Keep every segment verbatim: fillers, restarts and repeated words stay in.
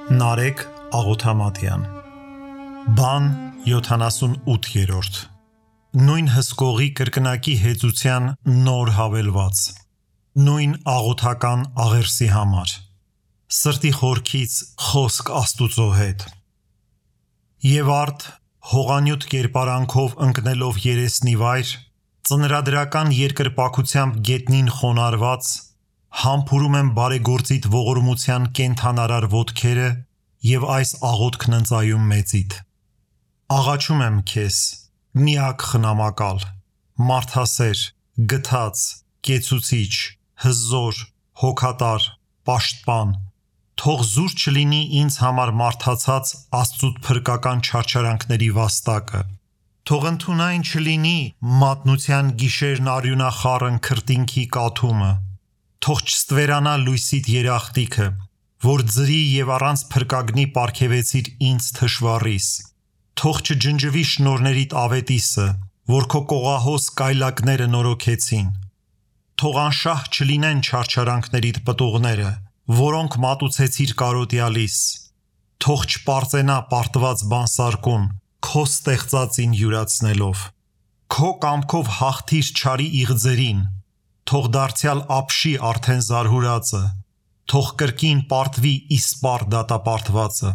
Նարեկ Աղոթամատյան Բան յոթանասունութերորդ Նույն հսկողի կրկնակի հեծության նոր հավելված Նույն աղոթական աղերսի համար Սրտի խորքից խոսք Աստուծո հետ Եվ արդ հողանյութ կերպարանքով ընկնելով երեսնի վայր ծնրադրական երկրպագությամբ գետնին խոնարհված համբուրում եմ բարեգործիդ ողորմության կենդանարար ոտքերը և այս աղոթքն ընծայում մեծիդ Աղաչում եմ քեզ միակ խնամակալ մարդասեր գթած կեցուցիչ հզոր հոգատար պաշտպան թող զուր չլինի ինձ համար մարդացած Աստծուդ փրկական չարչարանքների վաստակը թող ընդունայն չլինի մատնության գիշերն արյունախառն քրտինքի կաթումը Թող չստվերանա լույսիդ երախտիքը, որ ձրի և առանց փրկագնի պարգևեցիր ինձ թշվառիս, թող չջնջվի շնորներիդ ավետիսը, որ քո կողահոս կայլակները նորոգեցին, թող անշահ չլինեն չարչարանքներիդ պտուղները, որոնք մատուցեցիր կարոտյալիս, թող չպարծենա պարտված բանսարկուն, քո ստեղծածին յուրացնելով, քո կամքով հաղթիր չարի իղձերին, Թող դարձյալ ապշի արդեն զարհուրածը, թող կրկին պարտվի իսպառ դատապարտվածը,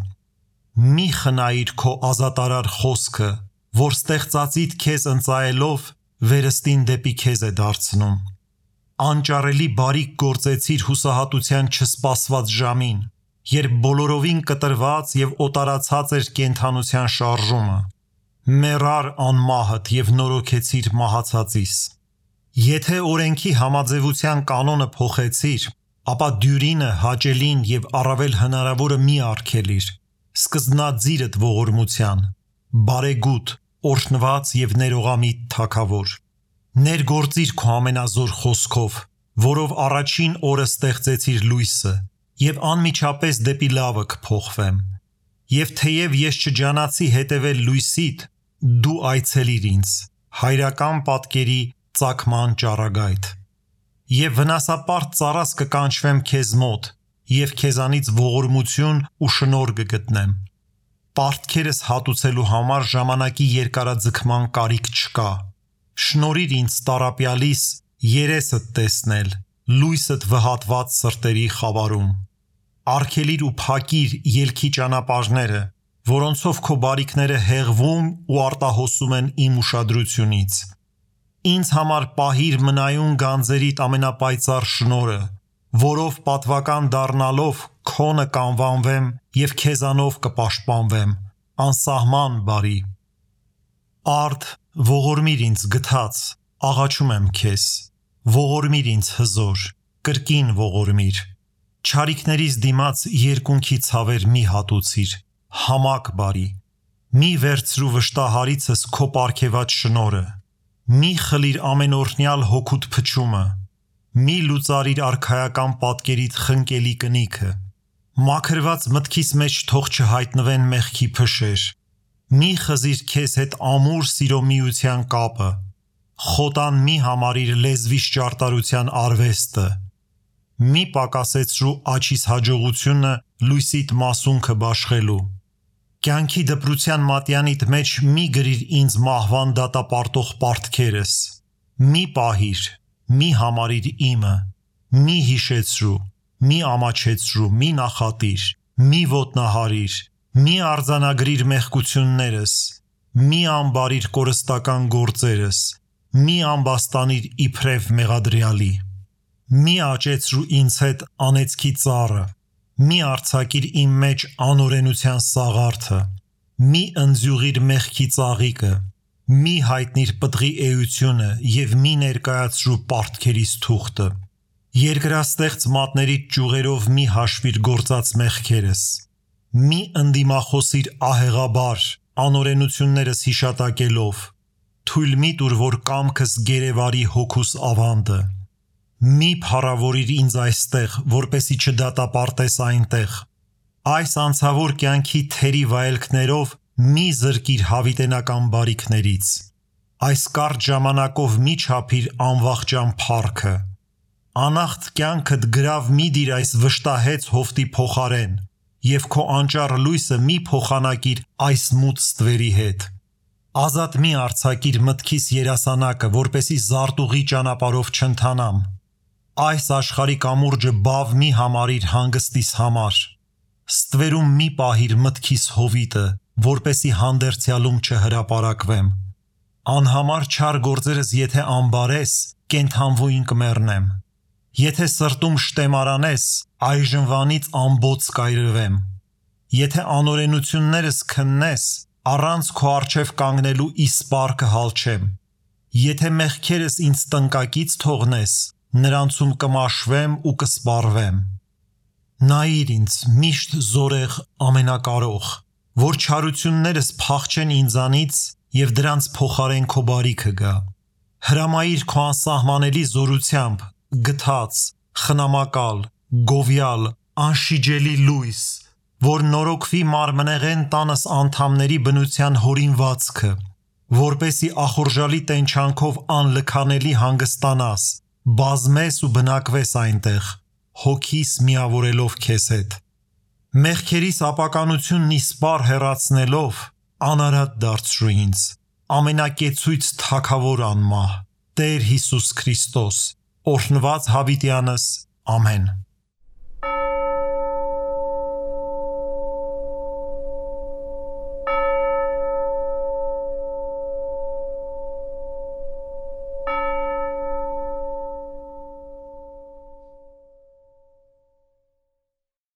մի խնայիր քո ազատարար խոսքը, որ ստեղծածիդ քեզ ընծայելով վերստին դեպի քեզ է դարձնում, անճարելի բարիք գործեցիր հուսահատության չսպասված ժամին, երբ բոլորովին կտրված և օտարացած էր կենդանության շարժումը, մեռար անմահդ և նորոգեցիր մահացածիս, Եթե օրենքի համաձևության կանոնը փոխեցիր, ապա դյուրինը, հաճելին և առավել հնարավորը մի արգելիր, սկզբնաձիրդ ողորմության, բարեգութ, օրհնված և ներողամիտ թագավոր, ներգործիր քո ամենազոր խոսքով, որով առաջին օրը ստեղծեցիր լույսը, և անմիջապես դեպի լավը կփոխվեմ, և թեև ես չջանացի հետևել լույսիդ, դու այցելիր ինձ, հայրական պատկերի ծագման ճառագայթ Եվ վնասապարտ ծառաս կկանչվեմ քեզ մոտ և քեզանից ողորմություն ու շնորհ կգտնեմ Պարտքերս հատուցելու համար ժամանակի երկարաձգման կարիք չկա Շնորհիր ինձ տառապյալիս երեսդ տեսնել լույսդ վհատված սրտերի խավարում Արգելիր ու փակիր ելքի ճանապարհները որոնցով քո բարիքները հեղվում ու արտահոսում են իմ ուշադրությունից Ինձ համար պահիր մնայուն գանձերիդ ամենապայծառ շնորհը, որով պատվական դառնալով քոնը կանվանվեմ և քեզանով կպաշտպանվեմ, անսահման բարի։ Արդ ողորմիր ինձ գթած, աղաչում եմ քեզ, ողորմիր ինձ հզոր, կրկին ողորմիր, չարիքներիս դիմաց երկունքի ցավեր մի հատուցիր, համակ բարի, մի վերցրու վշտահարիցս քո պարգևած շնորհը Մի խլիր ամենօրհնյալ հոգուդ փչումը, մի լուծարիր արքայական պատկերիդ խնկելի կնիքը, մաքրված մտքիս մեջ թող չհայտնվեն մեղքի փշեր, մի խզիր քեզ հետ ամուր սիրո միության կապը, խոտան մի համարիր լեզվիս ճարտարության արվեստը, մի պակասեցրու աջիս հաջողությունը լույսիդ մասունքը բաշխելու, Կյանքի դպրության մատյանիդ մեջ մի գրիր ինձ մահվան դատապարտող պարտքերս, մի պահիր, մի համարիր իմը, մի հիշեցրու, մի ամաչեցրու, մի նախատիր, մի ոտնահարիր, մի արձանագրիր մեղքություններս, մի ամբարիր կորստական գործերս, մի ամբաստանիր իբրև մեղադրյալի, մի աճեցրու ինձ հետ անեծքի ծառը, Մի արձակիր իմ մեջ անօրենության սաղարթը, մի ընձյուղիր մեղքի ծաղիկը, մի հայտնիր պտղի էությունը և մի ներկայացրու պարտքերիս թուղթը, երկրաստեղծ մատներիդ ճյուղերով մի հաշվիր գործած մեղքերս, մի ընդդիմախոսիր ահեղաբար, անօրենություններս հիշատակելով, թույլ մի տուր, որ կամքս գերեվարի հոգուս ավանդը, Մի փառավորիր ինձ այստեղ, որպեսի չդատապարտես այնտեղ, այս անցավոր կյանքի թերի վայելքներով մի զրկիր հավիտենական բարիքներից, այս կարճ ժամանակով մի չափիր անվախճան փառքը, Անախտ կյանքդ գրավ մի դիր այս վշտահեց հովտի փոխարեն և քո անճառ լույսը մի փոխանակիր այս մութ ստվերի հետ։ Ազատ մի արձակիր մտքիս երասանակը, որպեսի զարտուղի ճանապարհով չընթանամ։ Այս աշխարհի կամուրջը բավ մի համարիր հանգստիս համար։ Ստվերում մի պահիր մտքիս հովիտը, որպեսի հանդերձյալում չհրապարակվեմ։ Անհամար չար գործերս եթե անբարես, կենդանվույն կմեռնեմ։ Եթե սրտում շտեմարանես, այժմվանից ամբոց կայրվեմ։ Եթե անօրենություններս քննես, առանց քո առջև կանգնելու իսպառ կհալչեմ։ Եթե մեղքերս ինձ տնկակից թողնես, նրանցում կմաշվեմ ու կսպառվեմ։ Նայիր ինձ, միշտ զորեղ ամենակարող, որ չարություններս փախչեն ինձանից և դրանց փոխարեն քո բարիքը գա։ Հրամայիր քո անսահմանելի զորությամբ, գթած, խնամակալ, գովյալ, անշիջելի լույս, որ նորոգվի մարմնեղեն տանս անդամների բնության հորինվածքը, որպեսի ախորժալի տենչանքով անլքանելի հանգստանաս, բազմես ու բնակվես այնտեղ, հոգիս միավորելով քեզ հետ։ Մեղքերիս ապականությունն իսպառ հեռացնելով, անարատ դարձրու ինձ, ամենակեցույց Թագավոր անմահ, Տեր Հիսուս Քրիստոս, օրհնված հավիտյանս, ամեն։